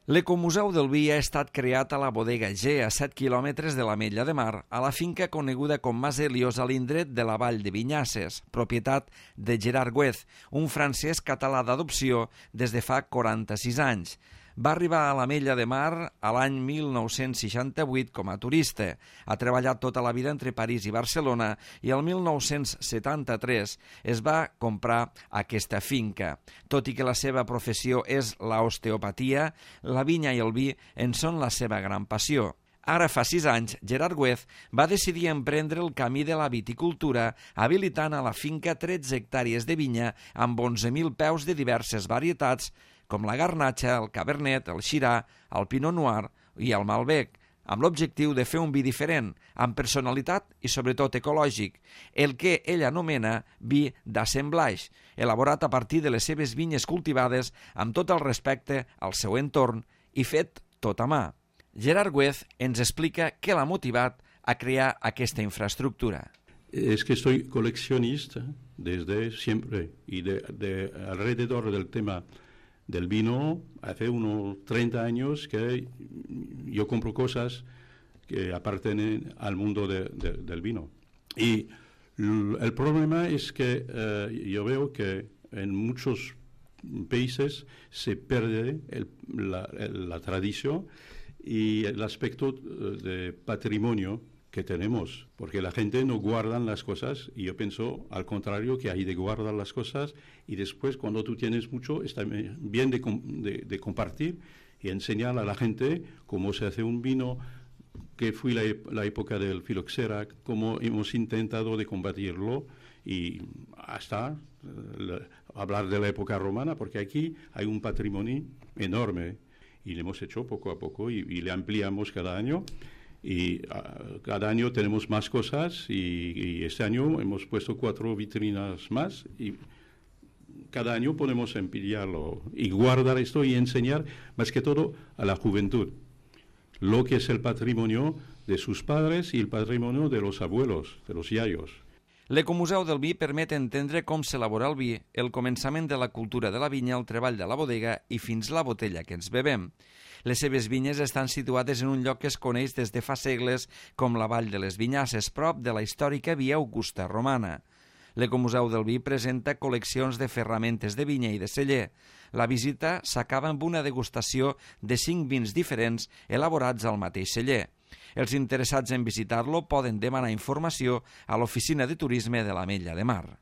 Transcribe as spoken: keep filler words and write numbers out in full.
L'Ecomuseu del Vi ha estat creat a la Bodega G, a set quilòmetres de l'Ametlla de Mar, a la finca coneguda com Mas Helios, a l'indret de la Vall de Vinyasses, propietat de Gerard Güez, un francès català d'adopció des de fa quaranta-sis anys. Va arribar a l'Ametlla de Mar a l'any mil nou-cents seixanta-vuit com a turista. Ha treballat tota la vida entre París i Barcelona i el mil nou-cents setanta-tres es va comprar aquesta finca. Tot i que la seva professió és l'osteopatia, la vinya i el vi en són la seva gran passió. Ara fa sis anys, Gerard Güez va decidir emprendre el camí de la viticultura, habilitant a la finca tretze hectàrees de vinya amb onze mil peus de diverses varietats, com la Garnatxa, el Cabernet, el Shiraz, el Pinot Noir i el Malbec, amb l'objectiu de fer un vi diferent, amb personalitat i sobretot ecològic, el que ell anomena vi d'assemblage, elaborat a partir de les seves vinyes cultivades amb tot el respecte al seu entorn i fet tot a mà. Gerard Güez ens explica què l'ha motivat a crear aquesta infraestructura. Es que soy coleccionista desde siempre y de, de alrededor del tema del vino, hace unos treinta años que yo compro cosas que apartienen al mundo de, de, del vino. Y el problema es que eh, yo veo que en muchos países se pierde el, la, la tradición y el aspecto de patrimonio que tenemos, porque la gente no guarda las cosas y yo pienso al contrario que hay de guardar las cosas y después cuando tú tienes mucho está bien de, de, de compartir y enseñar a la gente cómo se hace un vino, que fue la, la época del filoxera, cómo hemos intentado de combatirlo y hasta eh, hablar de la época romana, porque aquí hay un patrimonio enorme y lo hemos hecho poco a poco y, y le ampliamos cada año. Y uh, cada año tenemos más cosas y, y este año hemos puesto cuatro vitrinas más y cada año podemos emplearlo y guardar esto y enseñar más que todo a la juventud lo que es el patrimonio de sus padres y el patrimonio de los abuelos, de los yayos. L'Ecomuseu del Vi permet entendre com s'elabora el vi, el començament de la cultura de la vinya, el treball de la bodega i fins la botella que ens bevem. Les seves vinyes estan situades en un lloc que es coneix des de fa segles com la Vall de les Vinyasses, prop de la històrica Via Augusta romana. L'Ecomuseu del Vi presenta col·leccions de ferramentes de vinya i de celler. La visita s'acaba amb una degustació de cinc vins diferents elaborats al mateix celler. Els interessats en visitar-lo poden demanar informació a l'Oficina de Turisme de l'Ametlla de Mar.